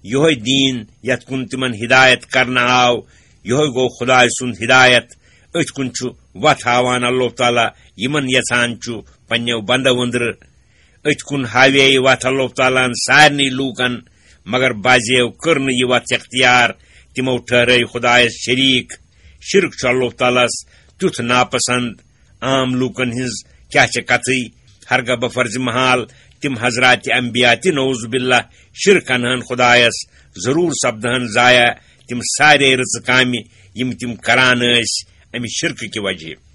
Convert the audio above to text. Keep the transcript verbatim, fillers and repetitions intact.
یہوے دیٖن یتھ کُن تِمن ہدایت کرنہٕ آو، یہوے گوٚو خدایہِ سُنٛد ہدایت۔ أتھۍ کُن چھُ وتھ ہاوان اللہ تعالیٰ یِمن یژھان چھُ پننیو بندو أنٛدرٕ۔ أتھۍ کُن ہاوے یہِ وتھ اللہ تعالیٰ ہن سارنٕے لوٗکن، مگر بعضیو کٔر نہٕ یہِ وتھ اختیار، تِمو ٹھہرٲے خدایس شریٖک۔ شرک چھُ اللہ تعالیٰ ہس تیُتھ ناپسند۔ عام لوٗکن ہٕنٛز کیٛاہ چھےٚ کتھٕے، ہرگاہ بفرض محال تِم حضرات انبیاء تہِ نعوذ باللہ شرک انہن خدایس، ضروٗر سپدہن ضایع تِم سارے رٕژٕ کامہِ یِم تِم کران ٲسۍ امہِ شرکہٕ کہِ وجہ۔